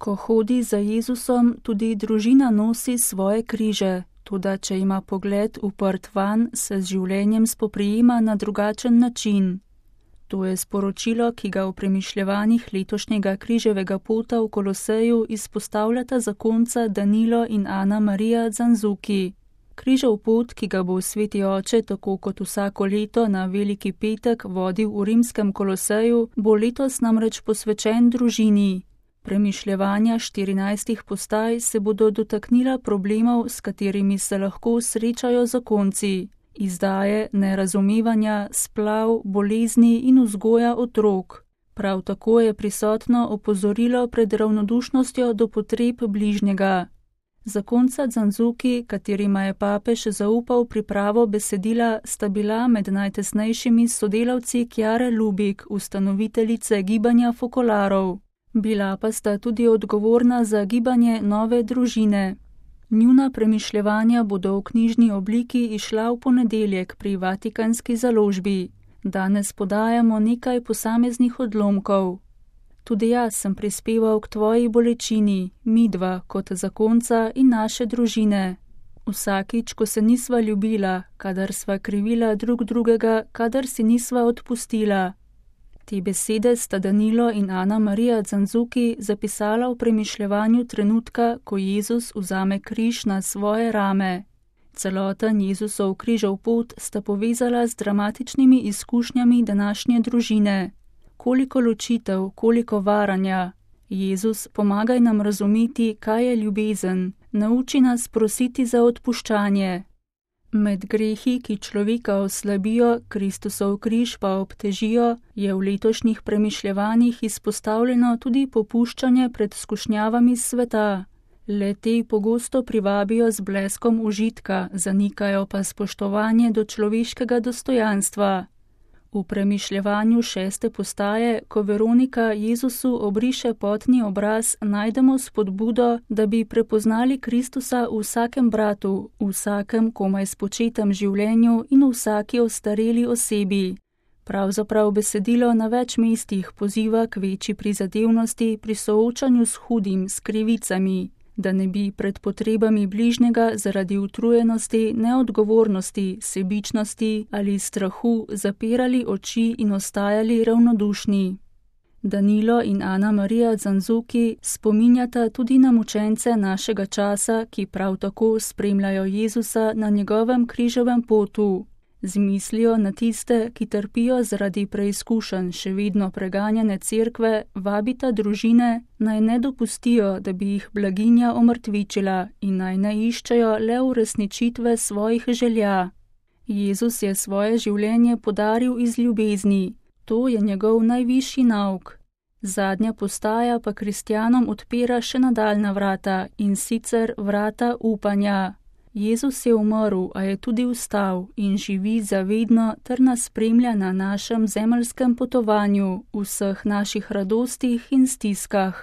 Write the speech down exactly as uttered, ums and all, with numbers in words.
Ko hodi za Jezusom, tudi družina nosi svoje križe, toda če ima pogled uprt van, se z življenjem spoprijema na drugačen način. To je sporočilo, ki ga v premišljevanjih letošnjega križevega pota v Koloseju izpostavljata zakonca Danilo in Ana Marija Zanzuki. Križev pot, ki ga bo sveti oče tako kot vsako leto na Veliki petek vodil v rimskem Koloseju, bo letos namreč posvečen družini. Premišljevanja štirinajstih postaj se bodo dotaknila problemov, s katerimi se lahko srečajo zakonci. Izdaje, nerazumevanja, splav, bolezni in vzgoja otrok. Prav tako je prisotno opozorilo pred ravnodušnostjo do potreb bližnjega. Zakonca Zanzuki, katerima je papež zaupal pripravo besedila, sta bila med najtesnejšimi sodelavci Chiare Lubik, ustanoviteljice gibanja Fokolarov. Bila pa sta tudi odgovorna za gibanje Nove družine. Njuna premišljevanja bodo v knjižni obliki izšla v ponedeljek pri Vatikanski založbi. Danes podajamo nekaj posameznih odlomkov. Tudi jaz sem prispeval k tvoji bolečini, midva kot zakonca in naše družine. Vsakič, ko se nisva ljubila, kadar sva krivila drug drugega, kadar si nisva odpustila. Te besede sta Danilo in Ana Marija Zanzuki zapisala v premišljevanju trenutka, ko Jezus vzame križ na svoje rame. Celoten Jezusov križev pot sta povezala z dramatičnimi izkušnjami današnje družine. Koliko ločitev, koliko varanja. Jezus, pomagaj nam razumeti, kaj je ljubezen. Nauči nas prositi za odpuščanje. Med grehi, ki človeka oslabijo, Kristusov križ pa obtežijo, je v letošnjih premišljevanjih izpostavljeno tudi popuščanje pred skušnjavami sveta. Le te pogosto privabijo z bleskom užitka, zanikajo pa spoštovanje do človeškega dostojanstva. V premišljevanju šeste postaje, ko Veronika Jezusu obriše potni obraz, najdemo spodbudo, da bi prepoznali Kristusa v vsakem bratu, v vsakem komaj spočetem življenju in v vsaki ostareli osebi. Pravzaprav besedilo na več mestih poziva k večji prizadevnosti pri soočanju s hudim, s krivicami, da ne bi pred potrebami bližnjega zaradi utrujenosti, neodgovornosti, sebičnosti ali strahu zapirali oči in ostajali ravnodušni. Danilo in Ana Marija Zanzuki spominjata tudi na mučence našega časa, ki prav tako spremljajo Jezusa na njegovem križevem potu. Z mislijo na tiste, ki trpijo zaradi preizkušenj še vedno preganjane cerkve, vabita družine, naj ne dopustijo, da bi jih blaginja omrtvičila in naj ne iščejo le uresničitve svojih želja. Jezus je svoje življenje podaril iz ljubezni. To je njegov najvišji nauk. Zadnja postaja pa kristjanom odpira še nadaljna vrata, in sicer vrata upanja. Jezus je umrl, a je tudi vstal in živi zavedno ter nas spremlja na našem zemeljskem potovanju, v vseh naših radostih in stiskah.